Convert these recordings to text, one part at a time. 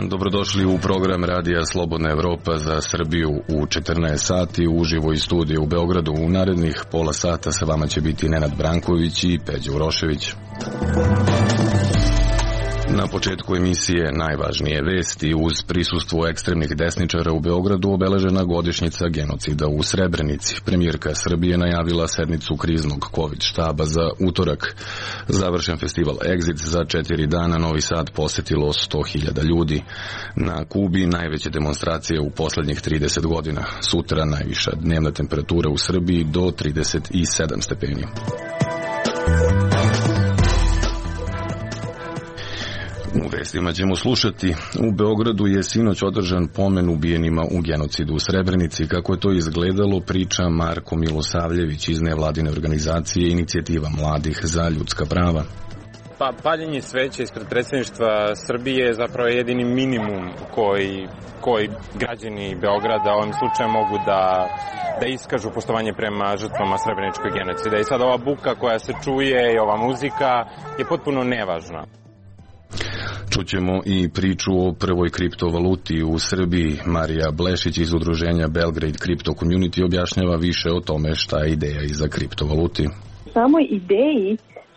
Dobrodošli u program Radija Slobodna Evropa za Srbiju u 14 sati uživo iz studija u Beogradu. U narednih pola sata sa vama će biti Nenad Branković i Peđa Urošević. Na početku emisije najvažnije vesti. Uz prisustvo ekstremnih desničara u Beogradu obeležena godišnjica genocida u Srebrenici. Premijerka Srbije najavila sednicu kriznog COVID štaba za utorak. Završen festival Exit, za 4 dana Novi Sad posetilo 100.000 ljudi. Na Kubi najveće demonstracije u poslednjih 30 godina. Sutra najviša dnevna temperatura u Srbiji do 37 stepeni. U vestima ćemo slušati. U Beogradu je sinoć održan pomen ubijenima u genocidu u Srebrenici. Kako je to izgledalo, priča Marko Milosavljević iz nevladine organizacije Inicijativa mladih za ljudska prava. Paljenje sveća ispred predsjedništva Srbije je zapravo jedini minimum koji građani Beograda ovim slučajem mogu da iskažu poštovanje prema žrtvama Srebreničkog genocida. I sad ova buka koja se čuje i ova muzika je potpuno nevažna. Čućemo i priču o prvoj kriptovaluti u Srbiji. Marija Blešić iz udruženja Belgrade Crypto Community objašnjava više o tome šta je ideja iza kriptovaluti. U samoj ideji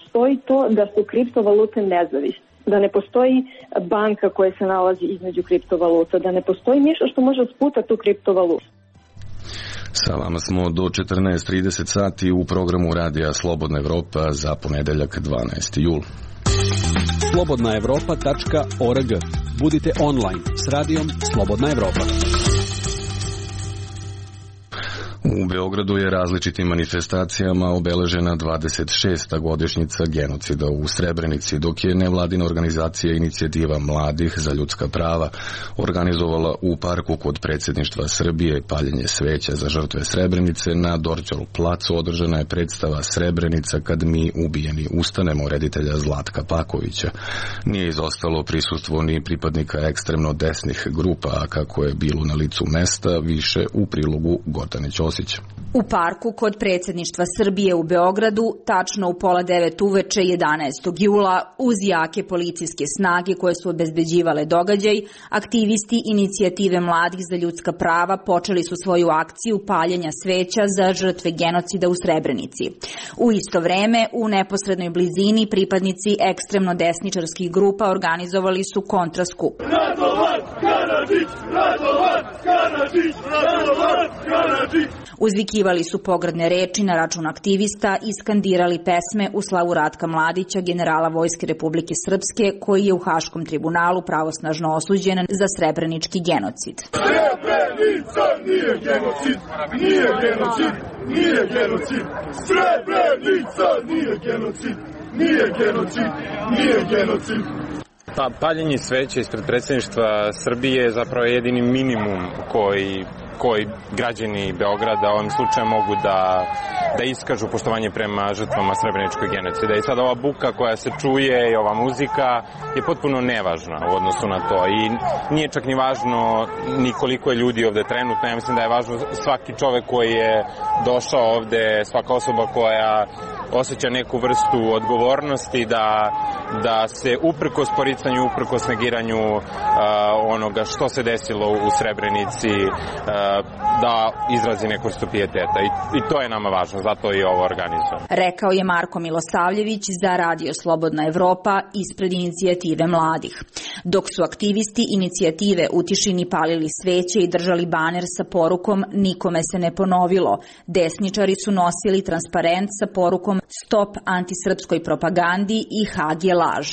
stoji to da su kriptovalute nezavisne, da ne postoji banka koja se nalazi između kriptovaluta, da ne postoji ništa što može sputati tu kriptovalutu. Sa vama smo do 14:30 sati u programu Radija Slobodna Evropa za ponedeljak 12. jul. slobodnaevropa.org. Budite online s radijom Slobodna Evropa. U Beogradu je različitim manifestacijama obeležena 26. godišnjica genocida u Srebrenici, dok je nevladina organizacija Inicijativa mladih za ljudska prava organizovala u parku kod predsjedništva Srbije paljenje sveća za žrtve Srebrenice. Na Dorćol placu održana je predstava Srebrenica kad mi ubijeni ustanemo reditelja Zlatka Pakovića. Nije izostalo prisustvo ni pripadnika ekstremno desnih grupa, a kako je bilo na licu mesta, više u prilogu Gordane Ćosić. U parku kod predsjedništva Srbije u Beogradu, tačno u 8:30 uveče 11. jula, uz jake policijske snage koje su obezbeđivale događaj, aktivisti Inicijative mladih za ljudska prava počeli su svoju akciju paljenja sveća za žrtve genocida u Srebrenici. U isto vreme, u neposrednoj blizini, pripadnici ekstremno desničarskih grupa organizovali su kontraskup. Radovan Karadžić! Radovan Karadžić! Radovan Karadžić! Uzvikivali su pogrdne reči na račun aktivista i skandirali pesme u slavu Ratka Mladića, generala Vojske Republike Srpske, koji je u Haškom tribunalu pravosnažno osuđen za srebrenički genocid. Srebrenica nije genocid! Nije genocid! Nije genocid! Srebrenica nije genocid! Nije genocid! Nije genocid! Paljenje sveća ispred predsjedništva Srbije je zapravo jedini minimum koji građani Beograda ovim slučajem mogu da iskažu poštovanje prema žrtvama Srebreničkog genocida. I sad ova buka koja se čuje i ova muzika je potpuno nevažna u odnosu na to. I nije čak ni važno ni koliko je ljudi ovde trenutno. Ja mislim da je važno svaki čovek koji je došao ovde, svaka osoba koja osjeća neku vrstu odgovornosti da se uprkos poricanju, uprkos negiranju onoga što se desilo u Srebrenici, da izrazi neku vrstu pijeteta. I to je nama važno, zato je ovo organizovano. Rekao je Marko Milosavljević za Radio Slobodna Evropa ispred Inicijative mladih. Dok su aktivisti Inicijative u tišini palili sveće i držali baner sa porukom "Nikome se ne ponovilo", desničari su nosili transparent sa porukom "Stop antisrpskoj propagandi" i "Hag je laž".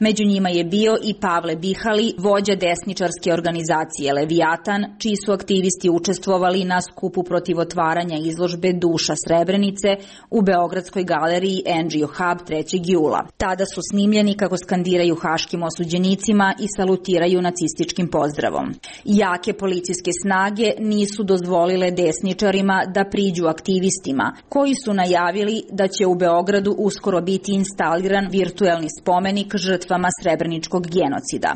Među njima je bio i Pavle Bihali, vođa desničarske organizacije Leviatan, čiji su aktivisti učestvovali na skupu protiv otvaranja izložbe Duša Srebrenice u Beogradskoj galeriji NGO Hub 3. jula. Tada su snimljeni kako skandiraju haškim osuđenicima i salutiraju nacističkim pozdravom. Jake policijske snage nisu dozvolile desničarima da priđu aktivistima, koji su najavili da će u Beogradu uskoro biti instaliran virtuelni spomenik žrtvama Srebreničkog genocida.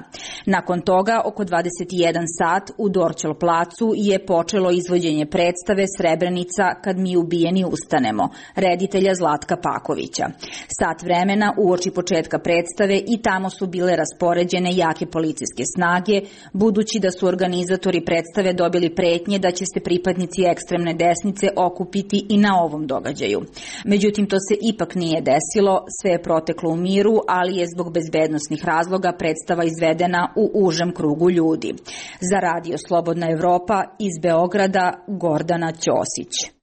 Nakon toga, oko 21 sat u Dorćol placu je počelo izvođenje predstave Srebrenica kad mi ubijeni ustanemo, reditelja Zlatka Pakovića. Sat vremena uoči početka predstave i tamo su bile raspoređene jake policijske snage, budući da su organizatori predstave dobili pretnje da će se pripadnici ekstremne desnice okupiti i na ovom događaju. Međutim, to se ipak nije desilo, sve je proteklo u miru, ali je zbog bezbednosnih razloga predstava izvedena u užem krugu ljudi. Za Radio Slobodna Evropa iz Beograda, Gordana Ćosić.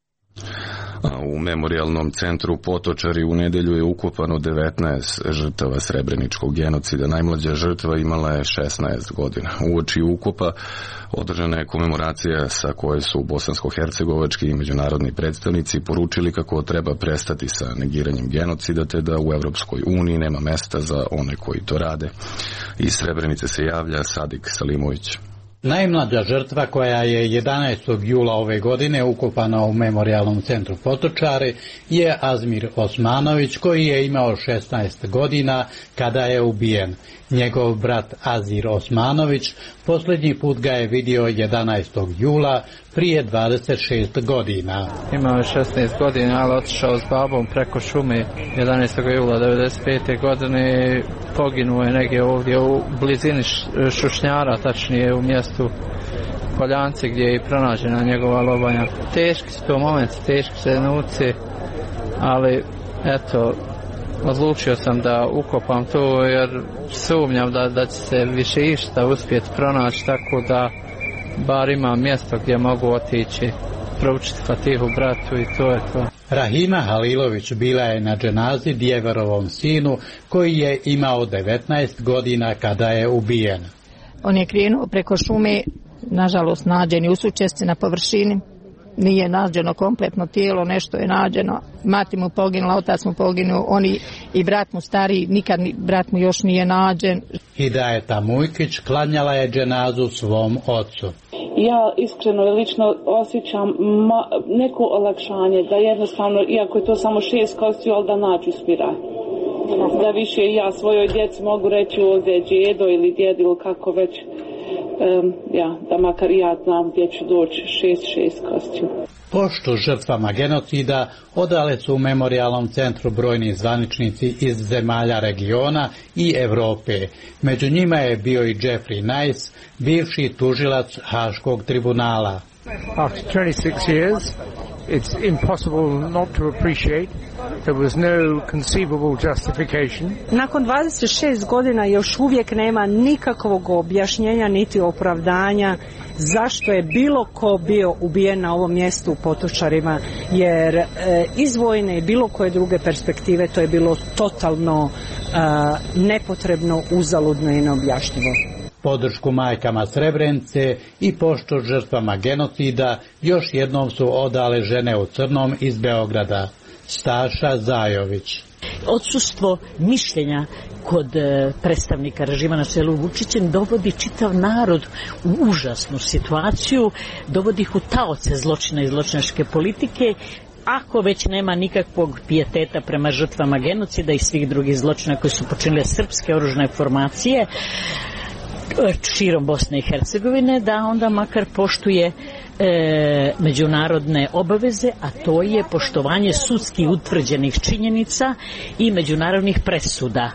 U memorijalnom centru Potočari u nedelju je ukopano 19 žrtava Srebreničkog genocida. Najmlađa žrtva imala je 16 godina. Uoči ukopa održana je komemoracija sa koje su bosansko-hercegovački i međunarodni predstavnici poručili kako treba prestati sa negiranjem genocida te da u Evropskoj uniji nema mesta za one koji to rade. Iz Srebrenice se javlja Sadik Salimović. Najmlađa žrtva koja je 11. jula ove godine ukopana u memorijalnom centru Potočari je Azmir Osmanović, koji je imao 16 godina kada je ubijen. Njegov brat Azir Osmanović posljednji put ga je vidio 11. jula prije 26 godina. Imao je 16 godina, ali otišao s babom preko šume 11. jula 1995. godine. Poginuo je negdje ovdje u blizini Šušnjara, tačnije u mjestu Poljanci gdje je pronađena njegova lobanja. Teški su to momenti, teški se trenuci, ali eto, odlučio sam da ukopam to jer sumnjam da će se više išta uspjeti pronaći, tako da bar imam mjesto gdje mogu otići, proučiti Fatihu bratu i to je to. Rahima Halilović bila je na dženazi Djeverovom sinu koji je imao 19 godina kada je ubijen. On je krenuo preko šume, nažalost nađen je usučesci na površini. Nije nađeno kompletno tijelo, nešto je nađeno. Mati mu poginula, otac mu poginuo, oni i brat mu stariji, nikad brat mu još nije nađen. Hidajeta Mujkić klanjala je dženazu svom ocu. Ja iskreno i lično osjećam neko olakšanje da jednostavno, iako je to samo 6 kostiju, ali da nađu spiralj. Da više ja svojoj djeci mogu reći ovdje je djedo ili djed ili kako već, da makar i ja znam gdje ću doći 6 kostiju. Poštu žrtvama genocida odale su u memorijalnom centru brojni zvaničnici iz zemalja regiona i Europe. Među njima je bio i Jeffrey Nice, bivši tužilac Haškog tribunala. After 26 years, it's impossible not to appreciate there was no conceivable justification. Nakon 26 godina još uvijek nema nikakvog objašnjenja niti opravdanja zašto je bilo ko bio ubijen na ovom mjestu u Potočarima, jer iz vojne i bilo koje druge perspektive to je bilo totalno nepotrebno, uzaludno i neobjašnjivo. Podršku majkama Srebrenice i poštu žrtvama genocida još jednom su odale žene u crnom iz Beograda. Staša Zajović. Odsustvo mišljenja kod predstavnika režima na čelu Vučićem dovodi čitav narod u užasnu situaciju, dovodi ih u taoce zločina i zločinačke politike. Ako već nema nikakvog pijeteta prema žrtvama genocida i svih drugih zločina koji su počinile srpske oružane formacije širom Bosne i Hercegovine, da onda makar poštuje međunarodne obaveze, a to je poštovanje sudski utvrđenih činjenica i međunarodnih presuda.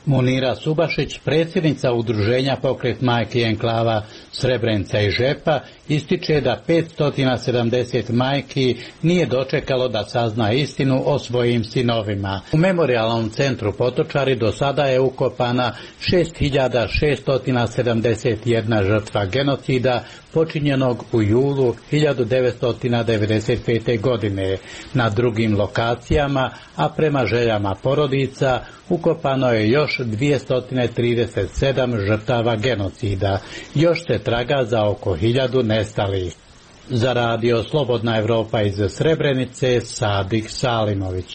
Munira Subašić, predsjednica udruženja Pokret majki enklava Srebrenica i Žepa, ističe da 570 majki nije dočekalo da sazna istinu o svojim sinovima. U memorijalnom centru Potočari do sada je ukopana 6671 žrtva genocida počinjenog u julu 1995. godine. Na drugim lokacijama, a prema željama porodica, ukopano je još 237 žrtava genocida. Još se traga za oko 1000 nestalih. Za Radio Slobodna Evropa iz Srebrenice, Sadik Salimović.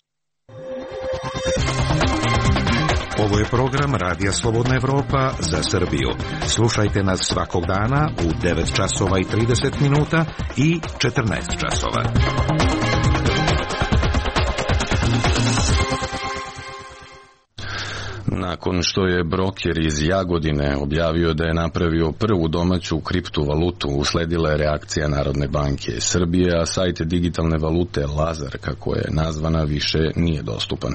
Ovo je program Radija Slobodna Evropa za Srbiju. Slušajte nas svakog dana u 9 časova i 30 minuta i 14 časova. Nakon što je broker iz Jagodine objavio da je napravio prvu domaću kriptovalutu, usledila je reakcija Narodne banke Srbije, a sajt digitalne valute Lazar, kako je nazvana, više nije dostupan.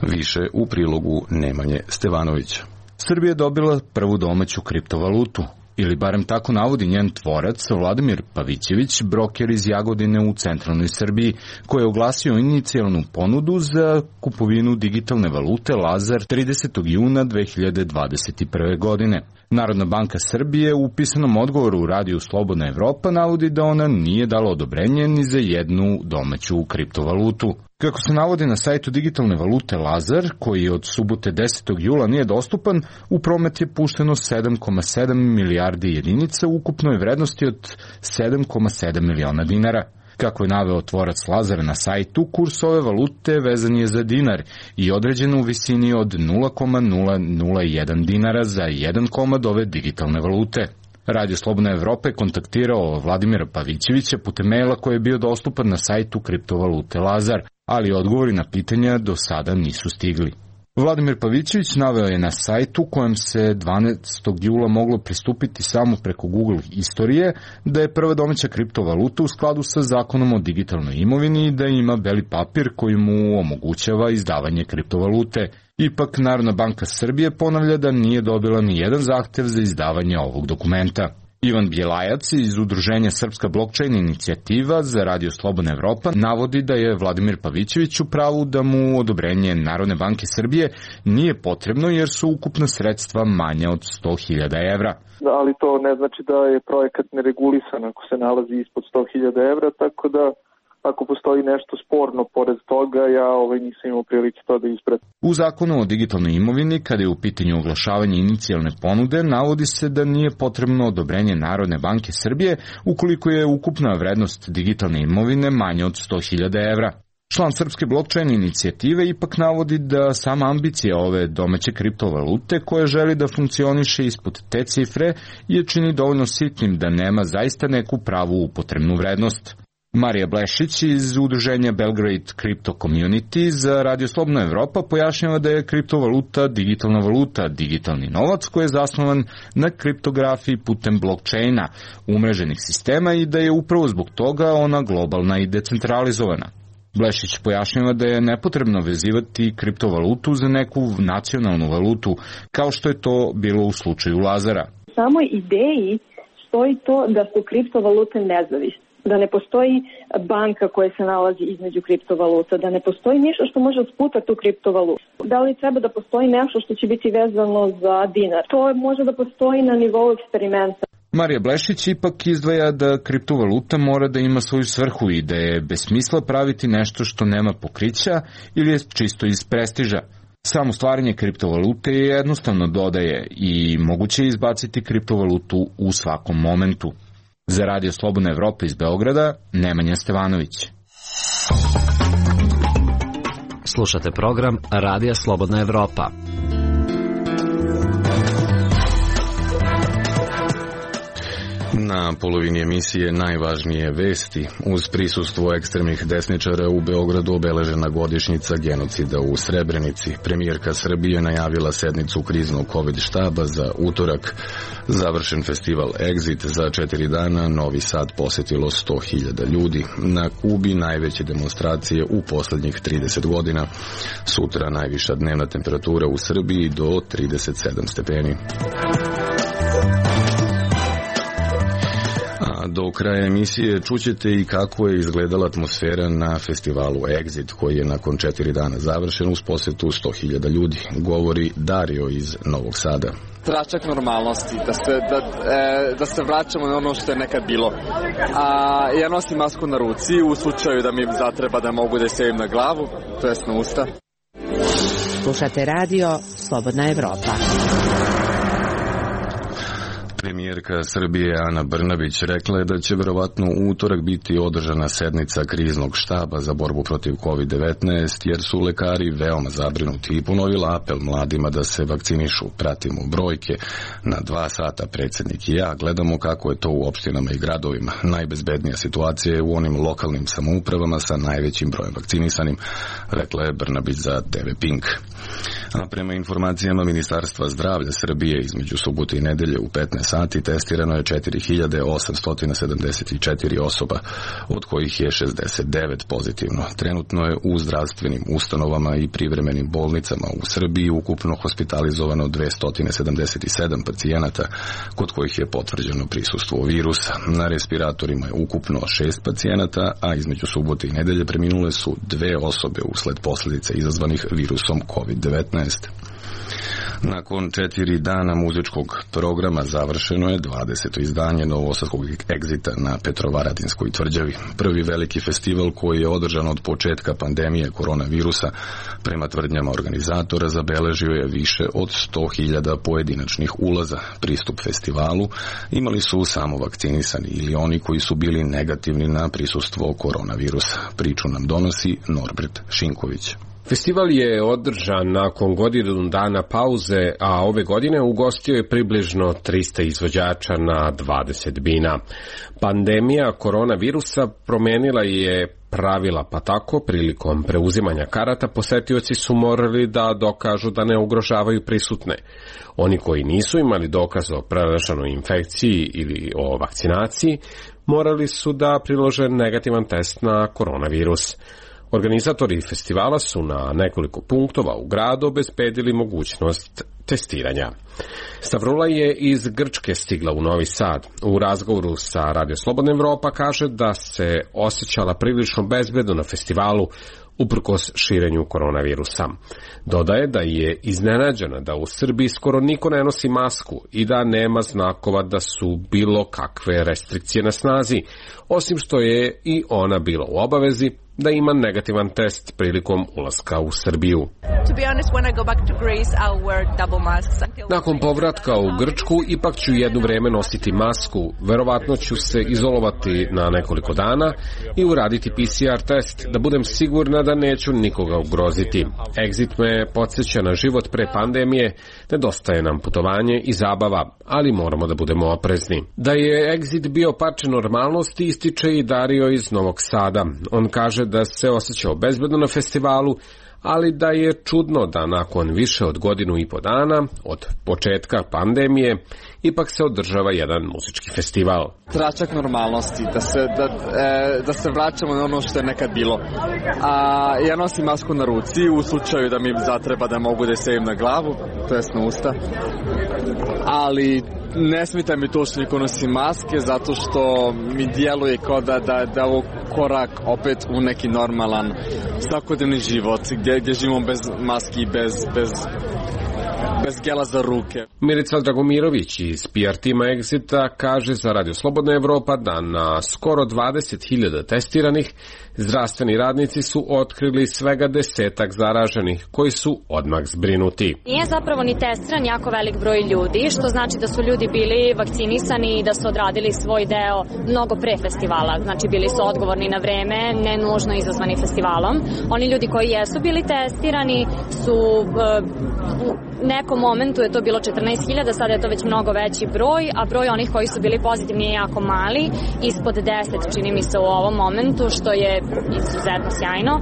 Više u prilogu Nemanje Stevanovića. Srbija je dobila prvu domaću kriptovalutu, ili barem tako navodi njen tvorac Vladimir Pavićević, broker iz Jagodine u centralnoj Srbiji, koji je oglasio inicijalnu ponudu za kupovinu digitalne valute Lazar 30. juna 2021. godine. Narodna banka Srbije u pisanom odgovoru u radiju Slobodna Evropa navodi da ona nije dala odobrenje ni za jednu domaću kriptovalutu. Kako se navodi na sajtu digitalne valute Lazar, koji od subote 10. jula nije dostupan, u promet je pušteno 7,7 milijardi jedinica u ukupnoj vrednosti od 7,7 miliona dinara. Kako je naveo tvorac Lazara na sajtu, kurs ove valute vezan je za dinar i određen u visini od 0,001 dinara za 1 komad ove digitalne valute. Radio Slobodna Evropa je kontaktirao Vladimira Pavićevića putem maila koji je bio dostupan na sajtu kriptovalute Lazar, ali odgovori na pitanja do sada nisu stigli. Vladimir Pavićević naveo je na sajtu kojem se 12. jula moglo pristupiti samo preko Google istorije da je prva domaća kriptovaluta u skladu sa zakonom o digitalnoj imovini i da ima beli papir koji mu omogućava izdavanje kriptovalute. Ipak Narodna banka Srbije ponavlja da nije dobila ni jedan zahtev za izdavanje ovog dokumenta. Ivan Bjelajac iz Udruženja Srpska blockchain inicijativa za Radio Slobodna Evropa navodi da je Vladimir Pavićević u pravu da mu odobrenje Narodne banke Srbije nije potrebno jer su ukupna sredstva manja od 100.000 evra. Ali to ne znači da je projekat neregulisan ako se nalazi ispod 100.000 evra, tako da ako postoji nešto sporno pored toga, ja nisam imao prilike to da ispratim. U zakonu o digitalnoj imovini, kada je u pitanju oglašavanje inicijalne ponude, navodi se da nije potrebno odobrenje Narodne banke Srbije ukoliko je ukupna vrednost digitalne imovine manja od 100.000 evra. Član Srpske blockchain inicijative ipak navodi da sama ambicija ove domaće kriptovalute koja želi da funkcioniše ispod te cifre je čini dovoljno sitnim da nema zaista neku pravu upotrebnu vrednost. Marija Blešić iz Udruženja Belgrade Crypto Community za Radio Slobodna Evropa pojašnjava da je kriptovaluta digitalna valuta, digitalni novac koji je zasnovan na kriptografiji putem blockchaina, umreženih sistema i da je upravo zbog toga ona globalna i decentralizovana. Blešić pojašnjava da je nepotrebno vezivati kriptovalutu za neku nacionalnu valutu, kao što je to bilo u slučaju Lazara. U samoj ideji stoji to da su kriptovalute nezavisne, da ne postoji banka koja se nalazi između kriptovaluta, da ne postoji nešto što može sputati tu kriptovalutu. Da li treba da postoji nešto što će biti vezano za dinar? To može da postoji na nivou eksperimenta. Marija Blešić ipak izdvaja da kriptovaluta mora da ima svoju svrhu i da je bez smisla praviti nešto što nema pokrića ili je čisto iz prestiža. Samo stvaranje kriptovalute je jednostavno dodaje i moguće je izbaciti kriptovalutu u svakom momentu. Za Radio Slobodna Evropa iz Beograda, Nemanja Stevanović. Slušate program Radija Slobodna Evropa. Na polovini emisije najvažnije vesti. Uz prisustvo ekstremnih desničara u Beogradu obeležena godišnjica genocida u Srebrenici. Premijerka Srbije najavila sednicu kriznog COVID štaba za utorak. Završen festival Exit za 4 dana, Novi Sad posetilo 100.000 ljudi. Na Kubi najveće demonstracije u poslednjih 30 godina. Sutra najviša dnevna temperatura u Srbiji do 37 stepeni. Do kraja emisije čućete i kako je izgledala atmosfera na festivalu Exit, koji je nakon 4 dana završen uz posetu 100.000 ljudi, govori Dario iz Novog Sada. Tračak normalnosti, da se vraćamo na ono što je nekad bilo. Ja nosim masku na ruci u slučaju da mi zatreba da mogu da je stavim na glavu, to jest na usta. Slušate radio Slobodna Evropa. Premijerka Srbije Ana Brnabić rekla je da će verovatno u utorak biti održana sednica kriznog štaba za borbu protiv COVID-19 jer su lekari veoma zabrinuti i ponovila apel mladima da se vakcinišu. Pratimo brojke. Na 2 sata predsjednik i ja gledamo kako je to u opštinama i gradovima. Najbezbednija situacija je u onim lokalnim samoupravama sa najvećim brojem vakcinisanim, rekla je Brnabić za TV Pink. A prema informacijama Ministarstva zdravlja Srbije između subote i nedelje u 15 sati testirano je 4874 osoba, od kojih je 69 pozitivno. Trenutno je u zdravstvenim ustanovama i privremenim bolnicama u Srbiji ukupno hospitalizovano 277 pacijenata, kod kojih je potvrđeno prisustvo virusa. Na respiratorima je ukupno 6 pacijenata, a između subote i nedelje preminule su 2 osobe usled posljedica izazvanih virusom COVID-19. Nakon 4 dana muzičkog programa završeno je 20. izdanje novosadskog Exita na Petrovaradinskoj tvrđavi. Prvi veliki festival koji je održan od početka pandemije koronavirusa, prema tvrdnjama organizatora, zabeležio je više od 100.000 pojedinačnih ulaza. Pristup festivalu imali su samo vakcinisani ili oni koji su bili negativni na prisustvo koronavirusa. Priču nam donosi Norbert Šinković. Festival je održan nakon godinu dana pauze, a ove godine ugostio je približno 300 izvođača na 20 bina. Pandemija koronavirusa promenila je pravila, pa tako prilikom preuzimanja karata posetioci su morali da dokažu da ne ugrožavaju prisutne. Oni koji nisu imali dokaz o preraženoj infekciji ili o vakcinaciji morali su da prilože negativan test na koronavirus. Organizatori festivala su na nekoliko punktova u gradu obezbedili mogućnost testiranja. Stavrula je iz Grčke stigla u Novi Sad. U razgovoru sa Radio Slobodna Evropa kaže da se osjećala prilično bezbedno na festivalu uprkos širenju koronavirusa. Dodaje da je iznenađena da u Srbiji skoro niko ne nosi masku i da nema znakova da su bilo kakve restrikcije na snazi, osim što je i ona bila u obavezi da ima negativan test prilikom ulaska u Srbiju. Nakon povratka u Grčku ipak ću jedno vreme nositi masku, verovatno ću se izolovati na nekoliko dana i uraditi PCR test, da budem sigurna da neću nikoga ugroziti. Exit me podsjeća na život pre pandemije, nedostaje nam putovanje i zabava, ali moramo da budemo oprezni. Da je Exit bio parče normalnosti ističe i Dario iz Novog Sada. On kaže da se osjećao bezbedno na festivalu, ali da je čudno da nakon više od godinu i po dana od početka pandemije ipak se održava jedan muzički festival. Tračak normalnosti, da se vraćamo na ono što je nekad bilo. Ja nosim masku na ruci u slučaju da mi zatreba da mogu da je stavim na glavu, to jest na usta. Ali ne smita mi to što niko nosi maske, zato što mi djeluje kao da ovo korak opet u neki normalan svakodnevni život, gdje živimo bez maski, bez gela za ruke. Milica Dragomirović iz PR tima Exita kaže za Radio Slobodna Evropa da na skoro 20.000 testiranih zdravstveni radnici su otkrili svega 10 zaraženih koji su odmah zbrinuti. Nije zapravo ni testiran jako velik broj ljudi, što znači da su ljudi bili vakcinisani i da su odradili svoj deo mnogo pre festivala. Znači bili su odgovorni na vreme, ne nužno izazvani festivalom. Oni ljudi koji jesu bili testirani su u nekom momentu je to bilo 14.000, sada je to već mnogo veći broj, a broj onih koji su bili pozitivni je jako mali, ispod 10 čini mi se u ovom momentu, što je izuzetno sjajno.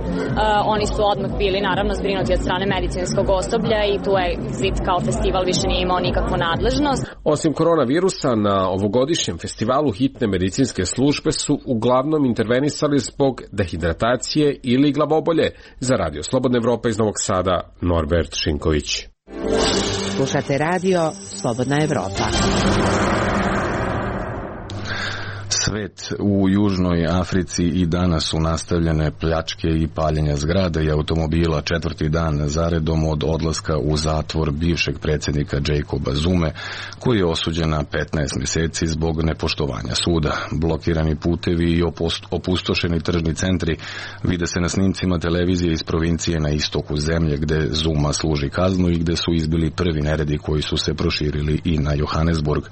Oni su odmah bili naravno zbrinuti od strane medicinskog osoblja i tu je Exit kao festival više nije imao nikakvu nadležnost. Osim koronavirusa, na ovogodišnjem festivalu hitne medicinske službe su uglavnom intervenisali zbog dehidratacije ili glavobolje. Za Radio Slobodna Evropa iz Novog Sada, Norbert Šinković. Slušate Radio Slobodna Evropa. Svet u Južnoj Africi i danas su nastavljene pljačke i paljenja zgrada i automobila 4. dan zaredom od odlaska u zatvor bivšeg predsjednika Jacoba Zume, koji je osuđen na 15 mjeseci zbog nepoštovanja suda. Blokirani putevi i opustošeni tržni centri vide se na snimcima televizije iz provincije na istoku zemlje gde Zuma služi kaznu i gde su izbili prvi neredi koji su se proširili i na Johannesburg.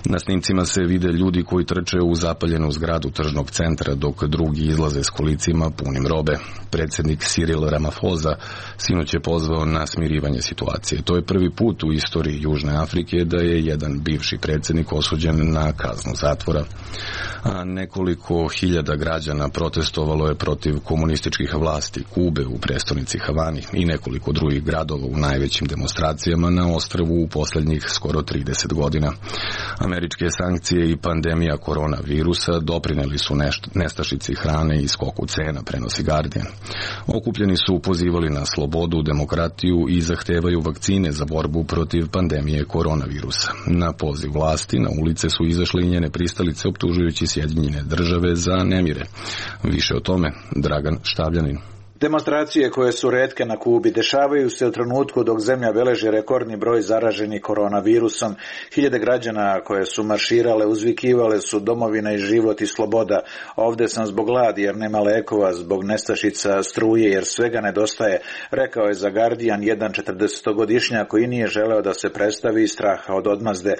Na snimcima se vide ljudi koji trče u zatvor zapaljenu zgradu tržnog centra dok drugi izlaze s kolicima punim robe. Predsjednik Cyril Ramaphosa sinoć je pozvao na smirivanje situacije. To je prvi put u istoriji Južne Afrike da je jedan bivši predsjednik osuđen na kaznu zatvora. A nekoliko hiljada građana protestovalo je protiv komunističkih vlasti Kube u prestonici Havani i nekoliko drugih gradova u najvećim demonstracijama na ostrvu u posljednjih skoro 30 godina. Američke sankcije i pandemija koronavirusa doprineli su nestašici hrane i skoku cena, prenosi Guardian. Okupljeni su pozivali na slobodu, demokratiju i zahtevaju vakcine za borbu protiv pandemije koronavirusa. Na poziv vlasti na ulice su izašli njene pristalice optužujući Sjedinjene Države za nemire. Više o tome Dragan Štavljanin. Demonstracije koje su retke na Kubi dešavaju se u trenutku dok zemlja beleži rekordni broj zaraženih koronavirusom. Hiljade građana koje su marširale uzvikivale su domovina i život i sloboda. Ovde sam zbog gladi jer nema lekova, zbog nestašica struje jer svega nedostaje, rekao je za Guardian jedan 40-godišnjak koji nije želeo da se predstavi iz straha od odmazde.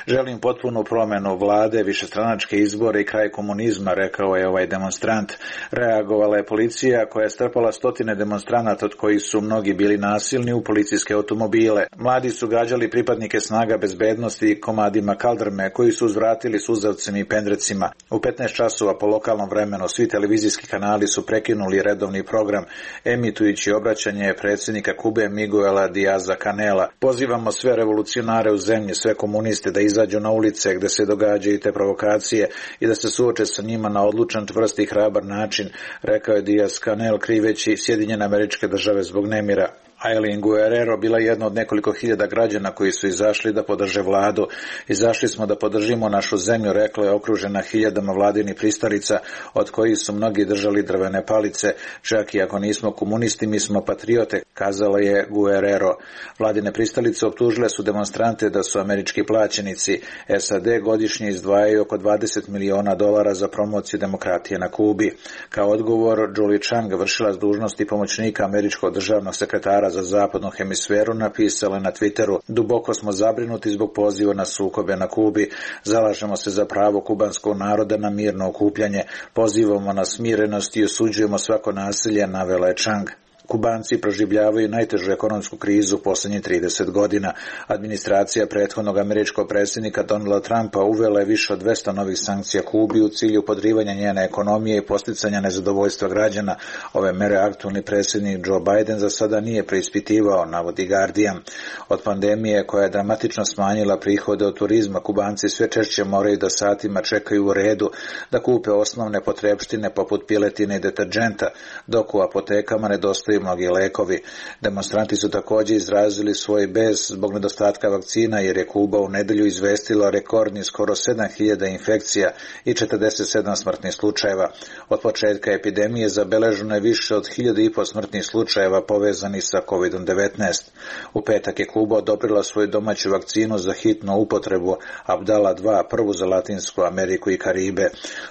Želim potpunu promenu vlade, višestranačke izbore i kraj komunizma, rekao je ovaj demonstrant. Reagovala je policija koja je strpala stotine demonstranata od kojih su mnogi bili nasilni u policijske automobile. Mladi su gađali pripadnike snaga bezbednosti komadima kaldrme koji su uzvratili suzavcem i pendrecima. U 15 časova po lokalnom vremenu svi televizijski kanali su prekinuli redovni program emitujući obraćanje predsjednika Kube Miguela Diaza Canela. Pozivamo sve revolucionare u zemlji, sve komuniste da izađu na ulice gde se događaju te provokacije i da se suoče sa njima na odlučan, čvrst i hrabar način, rekao je Diaz Canel kriveći Sjedinjene Američke Države zbog nemira. Aileen Guerrero bila jedna od nekoliko hiljada građana koji su izašli da podrže vladu. Izašli smo da podržimo našu zemlju, rekla je okružena hiljadama vladinih pristalica, od kojih su mnogi držali drvene palice. Čak i ako nismo komunisti, mi smo patriote, kazala je Guerrero. Vladine pristalice optužile su demonstrante da su američki plaćenici. SAD godišnje izdvajaju oko $20 miliona za promociju demokratije na Kubi. Kao odgovor, Julie Chang, vršilac dužnosti pomoćnika američkog državnog sekretara za zapadnu hemisferu, napisala na Twitteru: duboko smo zabrinuti zbog poziva na sukobe na Kubi. Zalažemo se za pravo kubanskog naroda na mirno okupljanje. Pozivamo na smirenost i osuđujemo svako nasilje, navela je Chang. Kubanci proživljavaju najtežu ekonomsku krizu posljednjih 30 godina. Administracija prethodnog američkog predsjednika Donalda Trumpa uvela je više od 200 novih sankcija Kubi u cilju podrivanja njene ekonomije i posticanja nezadovoljstva građana. Ove mere aktualni predsjednik Joe Biden za sada nije preispitivao, navodi Guardian. Od pandemije koja je dramatično smanjila prihode od turizma, Kubanci sve češće moraju da satima čekaju u redu da kupe osnovne potrepštine poput piletine i deterdženta, dok u apotekama nedostaju mnogi lekovi. Demonstranti su također izrazili svoj bes zbog nedostatka vakcina jer je Kuba u nedelju izvestila rekordni skoro 7000 infekcija i 47 smrtnih slučajeva. Od početka epidemije zabeleženo je više od 1500 smrtnih slučajeva povezanih sa COVID-19. U petak je Kuba odobrila svoju domaću vakcinu za hitnu upotrebu Abdala 2, prvu za Latinsku Ameriku i Karibe.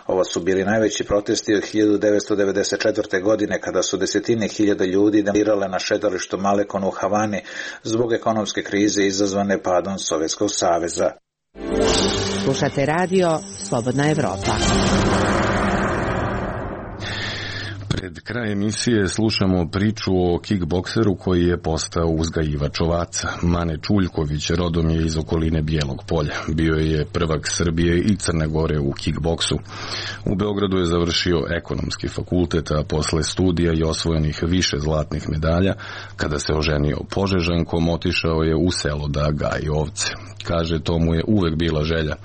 Ovo su bili najveći protesti od 1994. godine kada su desetine hiljada ljudi demonstrirale na šetalištu Malekon u Havani zbog ekonomske krize izazvane padom Sovjetskog saveza. Slušate radio Slobodna Evropa. Pred kraj emisije slušamo priču o kickbokseru koji je postao uzgajivač ovaca. Mane Čuljković rodom je iz okoline Bijelog Polja. Bio je prvak Srbije i Crne Gore u kickboksu. U Beogradu je završio ekonomski fakultet, a posle studija i osvojenih više zlatnih medalja, kada se oženio Požežankom, otišao je u selo da gaji ovce. Kaže, to mu je uvek bila želja,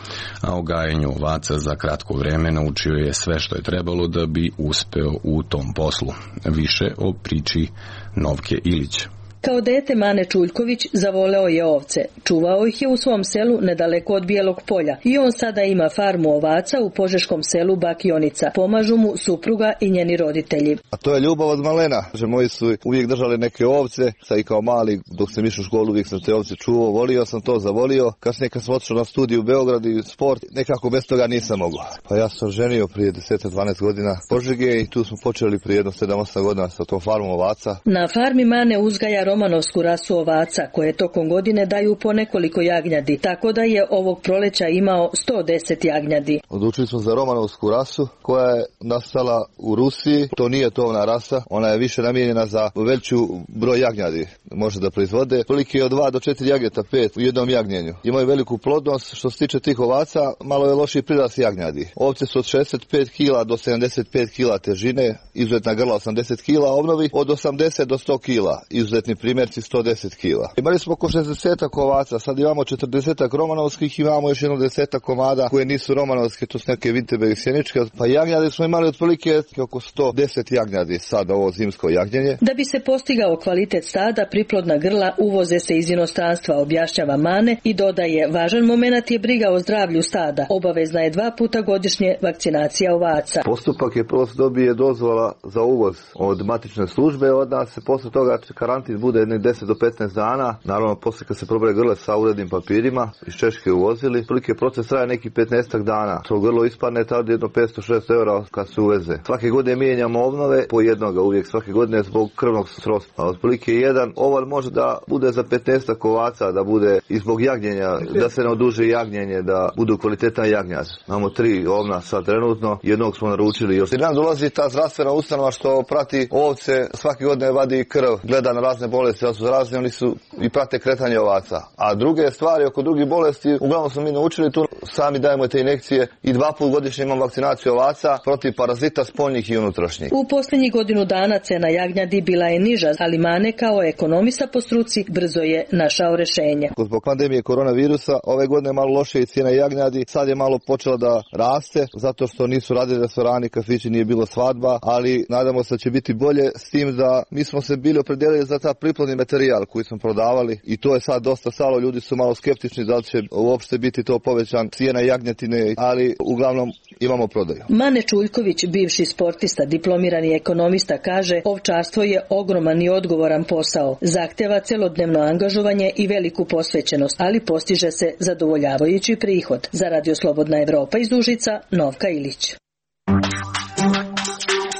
a o gajenju ovaca za kratko vreme naučio je sve što je trebalo da bi uspeo u tom poslu. Više o priči Novke Ilić. Kao dete Mane Čuljković zavoleo je ovce. Čuvao ih je u svom selu nedaleko od Bijelog Polja i on sada ima farmu ovaca u požeškom selu Bakionica. Pomažu mu supruga i njeni roditelji. A to je ljubav od malena. Moji su uvijek držali neke ovce, sad i kao mali dok sam išao u školu uvijek sam te ovce čuvao, volio sam to, zavolio. Kasnije kad sam otišao na studiju u Beograd i sport, nekako bez toga nisam mogao. Pa ja sam ženio prije 10-12 godina Požege i tu smo počeli prije 7-8 godina sa tom farmom ovaca. Na farmi Mane uzgaja romanovsku rasu ovaca koje tokom godine daju po nekoliko jagnjadi, tako da je ovog proleća imao 110 jagnjadi. Odlučili smo za romanovsku rasu koja je nastala u Rusiji. To nije tovna rasa, ona je više namijenjena za veću broj jagnjadi. Može da proizvode prilike od 2 do 4 jagnjeta, 5 u jednom jagnjenju. Imaju veliku plodnost. Što se tiče tih ovaca, malo je lošiji prirast jagnjadi. Ovce su od 65 kila do 75 kila težine, izuzetna grla 80 kila, obnovi od 80 do 100 kila, izuzetni primjerci 110 kila. Imali smo oko 60 ovaca, sad imamo 40 romanovskih, imamo još jedno 10 komada koje nisu romanovske, to su neke Vinterberg i sjeničke, pa jagnjadi smo imali otprilike oko 110 jagnjadi sad ovo zimsko jagnjenje. Da bi se postigao kvalitet stada, priplodna grla uvoze se iz inostranstva, objašnjava Mane i dodaje, važan moment je briga o zdravlju stada. Obavezna je 2 puta godišnje vakcinacija ovaca. Postupak je prvo se dobije dozvola za uvoz od matične službe, od nas se posle toga karantin bude 10 do 15 dana, naravno posle kad se probraje grle sa urednim papirima, iz Češke uvozili, prilike proces traje neki 15 dana. To grlo ispadne tada jedno 500-600 eura kad se uveze. Svake godine mijenjamo obnove po jednoga uvijek, svake godine zbog krvnog srodstva. Otprilike jedan oval može da bude za 15 ovaca, da bude i zbog jagnjenja, da se ne oduži jagnjenje, da budu kvalitetan jagnjac. Imamo 3 ovna sad trenutno, jednog smo naručili još. I nam dolazi ta zdravstvena ustanova što prati ovce, svake godine vadi krv, gleda na razne bolesti, da su razne, oni su i prate kretanje ovaca. A druge stvari oko drugih bolesti, uglavnom smo mi naučili tu, sami dajemo te injekcije i 2 puta godišnje imamo vakcinaciju ovaca protiv parazita spoljnih i unutrašnjih. U posljednjih godinu dana cena jagnjadi bila je niža, ali Mane kao ekonomista po struci brzo je našao rješenje. Zbog pandemije koronavirusa ove godine je malo loše i cijena jagnjadi, sad je malo počela da raste, zato što nisu radili restorani, kafići, nije bilo svadba, ali nadamo se da će biti bolje, s tim da mi smo se bili opredijelili za ta priplodni materijal koji smo prodavali i to je sad dosta stalo, ljudi su malo skeptični da li će uopšte biti to povećan cijena jagnjetine, ali uglavnom imamo prodaju. Mane Čuljković, bivši sportista, diplomirani ekonomista, kaže ovčarstvo je ogroman i odgovoran posao. Zahteva celodnevno angažovanje i veliku posvećenost, ali postiže se zadovoljavajući prihod. Za Radio Slobodna Evropa iz Užica, Novka Ilić.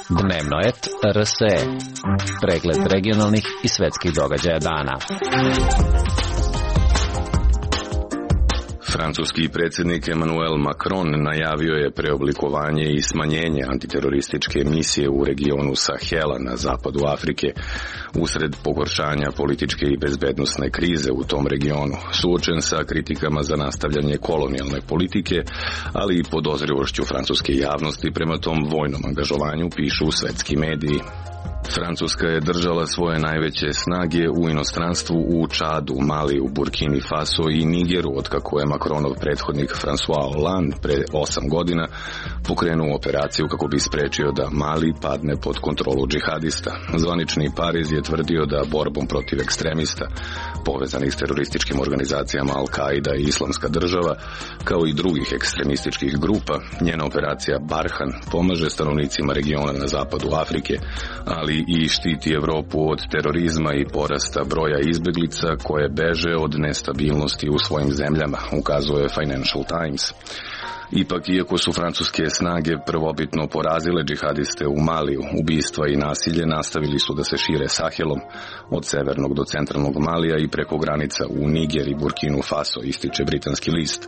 Dnevno et RSE. Pregled regionalnih i svetskih događaja dana. Francuski predsjednik Emmanuel Macron najavio je preoblikovanje i smanjenje antiterorističke misije u regionu Sahela na zapadu Afrike usred pogoršanja političke i bezbednosne krize u tom regionu, suočen sa kritikama za nastavljanje kolonijalne politike, ali i podozrivošću francuske javnosti prema tom vojnom angažovanju, pišu svetski mediji. Francuska je držala svoje najveće snage u inostranstvu u Čadu, Maliju, Burkini Faso i Nigeru, otkako je Macronov prethodnik François Hollande pre 8 godina pokrenuo operaciju kako bi sprečio da Mali padne pod kontrolu džihadista. Zvanični Pariz je tvrdio da borbom protiv ekstremista, povezanih s terorističkim organizacijama Al-Qaida i Islamska država, kao i drugih ekstremističkih grupa, njena operacija Barhan pomaže stanovnicima regiona na zapadu Afrike, ali i štiti Evropu od terorizma i porasta broja izbeglica koje beže od nestabilnosti u svojim zemljama, ukazuje Financial Times. Ipak, iako su francuske snage prvobitno porazile džihadiste u Maliju, ubistva i nasilje nastavili su da se šire Sahelom, od severnog do centralnog Malija i preko granica u Niger i Burkinu Faso, ističe britanski list,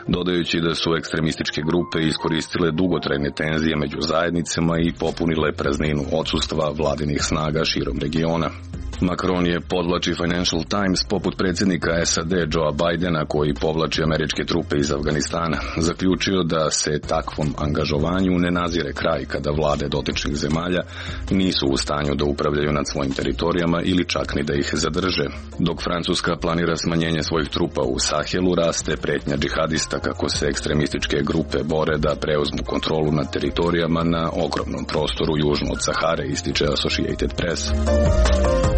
dodajući da su ekstremističke grupe iskoristile dugotrajne tenzije među zajednicama i popunile prazninu odsustva vladinih snaga širom regiona. Macron je, podvlači Financial Times, poput predsjednika SAD Joea Bidena, koji povlači američke trupe iz Afganistana, zaključio da se takvom angažovanju ne nazire kraj kada vlade dotičnih zemalja nisu u stanju da upravljaju nad svojim teritorijama ili čak ni da ih zadrže. Dok Francuska planira smanjenje svojih trupa u Sahelu, raste pretnja džihadista kako se ekstremističke grupe bore da preuzmu kontrolu nad teritorijama na ogromnom prostoru južno od Sahare, ističe Associated Press.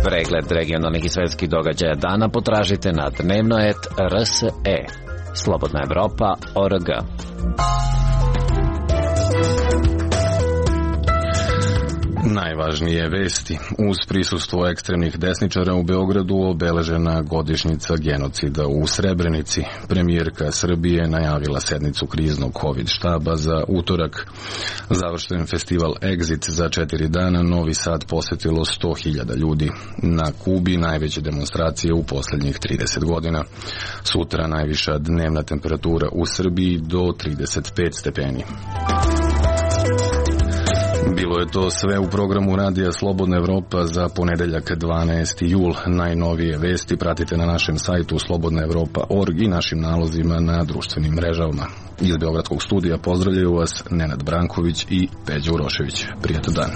Pregled regionalnih i svetskih događaja dana potražite na dnevnoet.rs.e. Slobodna Evropa.org. Najvažnije vesti. Uz prisustvo ekstremnih desničara u Beogradu obeležena godišnjica genocida u Srebrenici. Premijerka Srbije najavila sednicu kriznog COVID štaba za utorak. Završen festival Exit za 4 dana, Novi Sad posetilo 100.000 ljudi. Na Kubi najveće demonstracije u posljednjih 30 godina. Sutra najviša dnevna temperatura u Srbiji do 35 stepeni. Bilo je to sve u programu Radija Slobodna Evropa za ponedeljak 12. jul. Najnovije vesti pratite na našem sajtu slobodnaevropa.org i našim nalozima na društvenim mrežama. Iz Beogradskog studija pozdravljaju vas Nenad Branković i Peđa Urošević. Prijatan dan.